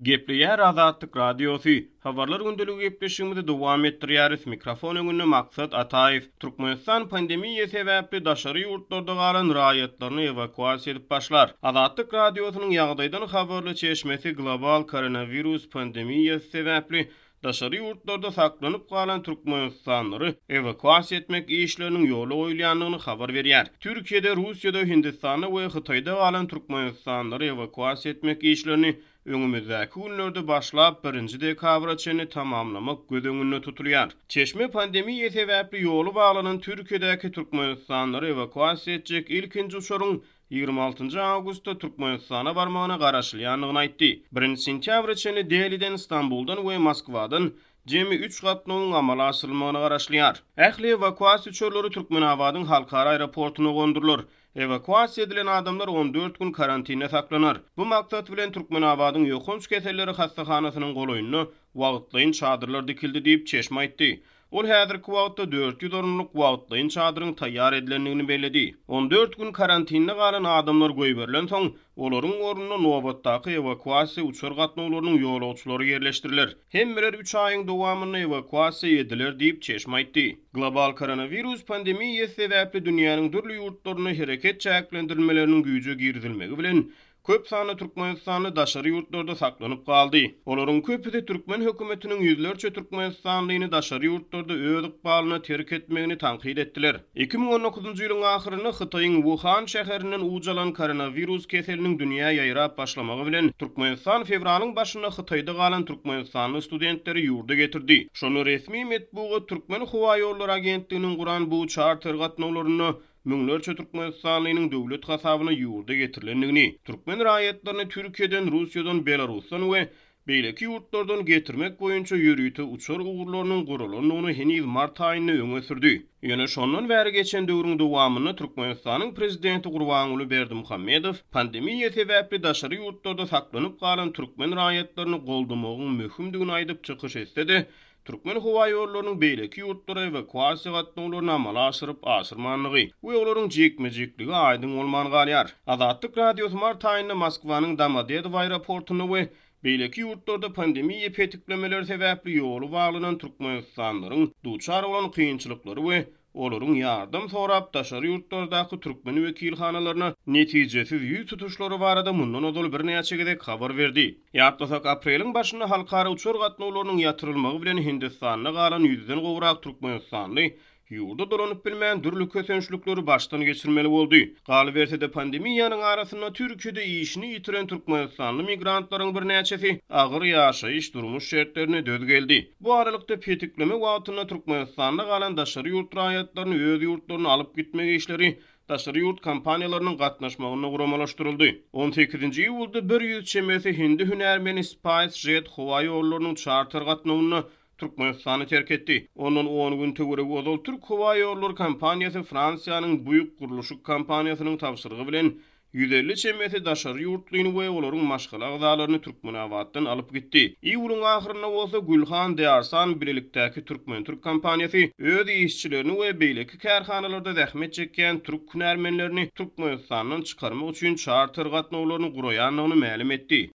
Gepleýär Azatlyk Radiosy, Habarlar gündeligi gepleşigimizi dowam etdirýäris. Mikrofon öňünde Maksat Ataýew. Türkmenistan pandemiýa sebäpli daşary ýurtlarda galan raýatlaryny ewakuasiýa edip başlar. Azatlyk Radiosynyň ýagdaýdan habarly çeşmesi global koronawirus pandemiýasy sebäpli daşary ýurtlarda saklanyp galan türkmenistanlylary ewakuasiýa etmek işleriniň ýola goýulýandygyny habar berýär. Türkiýede, Russiýada, Hindistanda we Hytaýda galan türkmenistanlylary ewakuasiýa etmek işlerini öňümizdäki günlerde başlap, birinji dekabra çenli tamamlamak göz öňünde tutulýar. Çeşme pandemiýa sebäpli ýoly baglanan Türkiýedäki türkmenistanlylary ewakuasiýa etjek ilkinji uçaryň 26 awgustda Türkmenistana barmagyna garaşylýandygyny aýtdy. Birinji sentýabra çenli Deliden, Stambuldan we Moskwadan jemi üç gatnawyň amala aşyrylmagyna garaşylýar. Ähli ewakuasiýa uçarlary Türkmenabadyň halkara aeroportuna gondurylar. Ewakuasiýa edilen adamlar 14 gün karantinde saklanar. Bu maksat bilen Türkmenabadyň ýokanç keselleri hassahanasynyň golaýynda wagtlaýyn çadyrlar dikildi diýip, çeşme aýtdy. Ol häzirki wagtda 400 orunlyk wagtlaýyn çadyryň taýýar edilendigini belledi. 14 gün karantinde galan adamlar goýberilensoň, olaryň ornuna nobatdaky ewakuasiýa uçar gatnawlarynyň ýolagçylary ýerleşdiriler. Hemmeler üç aýyň dowamynda ewakuasiýa ediler diýip, çeşme aýtdy. Global koronawirus pandemiýasy sebäpli dünýäniň dürli ýurtlarynda hereket çäklendirilmeleriniň güýje girizilmegi bilen, Köp sanly türkmenistanly daşary ýurtlarda saklanyp galdy. Olaryň köpüsi türkmen hökümetiniň ýüzlerçe türkmenistanlyny daşary ýurtlarda öz ykbalyna terk etmegini tankyt etdiler. 2019-njy ýylyň ahyrynda Hytaýyň Wuhan şäherinden uç alan koronawirus keseliniň dünýä ýaýrap başlamagy bilen, Türkmenistan fewralyň başynda Hytaýda galan türkmenistanly studentleri ýurda getirdi. Şonda resmi metbugat Türkmenhowaýollary agentliginiň guran bu çarter gatnawlarynda müňlerçe türkmenistanlynyň döwlet hasabyna ýurda getirilendigini, türkmen raýatlaryny Türkiýeden, Russiýadan, Belarusdan we beýleki ýurtlardan getirmek boýunça ýörite uçar ugurlarynyň guralandygyny heniz mart aýynda öňe sürdi. Ýöne şondan bäri geçen döwrüň dowamynda Türkmenistanyň prezidenti Gurbanguly Berdimuhamedow pandemiýa sebäpli daşary ýurtlarda saklanyp galan türkmen raýatlaryny goldamagyň möhümdigini aýdyp çykyş etse-de, Türkmenhowaýollarynyň beýleki ýurtlara ewakuasiýa gatnawlaryny amala aşyryp-aşyrmandygy we olaryň jikme-jikligi aýdyň bolman galýar. Azatlyk Radiosy mart aýynda Moskwanyň Domodedowo aeroportunda we beýleki ýurtlarda pandemiýa petiklemeleri sebäpli ýoly baglanan türkmenistanlylaryň duçar bolan kynçylyklary we olaryň ýardam sorap daşary ýurtlardaky türkmen wekilhanalaryna netijesiz ýüz tutuşlary barada mundan ozal birnäçe gezek habar berdi. Ýatlasak, apreliň başynda halkara uçar gatnawlarynyň ýatyrylmagy bilen Hindistanda galan ýüzden gowrak türkmenistanly ýurda dolanyp bilmän, dürli kösençlikleri başdan geçirmeli boldy. Galyberse-de, pandemiýanyň arasynda Türkiýede işini ýitiren türkmenistanly migrantlaryň birnäçesi agyr ýaşaýyş-durmuş şertlerine döz geldi. Bu aralykda, petikleme wagtynda Türkmenistanda galan daşary ýurt raýatlaryny öz ýurtlaryna alyp gitmek işleri daşary ýurt kompaniýalarynyň gatnaşmagynda guramalaşdyryldy. On sekizinji iýulda 100 çemesi hindi hünärmeni SpiceJet howa ýollarynyň çarter gatnawynda Türkmenistany terk etdi. Ondan on gün töweregi ozal Türk howa ýollary kompaniýasy Fransiýanyň Buýuk gurluşyk kompaniýasynyň tabşyrygy bilen 150 çemesi daşary ýurtlyny we olaryň maşgala agzalaryny Türkmenabatdan alyp gitdi. Iýulyň ahyrynda bolsa Gülhan Dearsan bilelikdäki türkmen-türk kompaniýasy öz işçilerini we beýleki kärhanalarda zähmet çekýän türk hünärmenlerini Türkmenistandan çykarmak üçin çarter gatnawlaryny guraýandygyny mälim etdi.